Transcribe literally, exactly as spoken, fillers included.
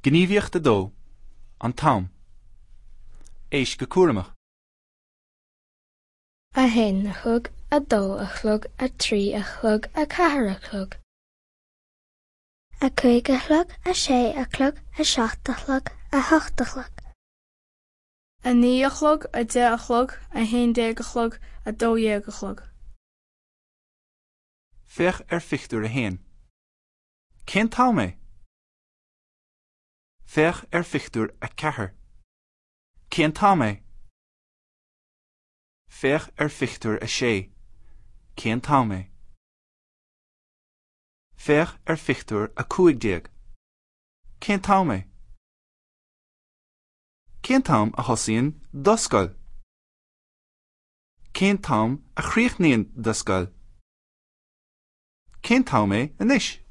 Gníomhaíocht a dó, an t-am. Éist go cúramach. A haon a chlog, a dó a chlog, a trí a chlog, a ceathair a chlog. A cúig a chlog, a sé a chlog, a seacht a chlog, a hocht a chlog. A naoi a chlog, a deich a chlog, a haon déag a chlog, a dó dhéag a chlog. Féach ar phictiúr a haon. Cén t-am é? Féach ar phictiúr a ceathair. Cén t-am é? Féach ar phictiúr a sé. Cén t-am é? Féach ar phictiúr a cúig déag. Cén t-am é? Cén t-am a thosaíonn do scoil? Cén t-am a chríochnaíonn do scoil? Cén t-am é anois?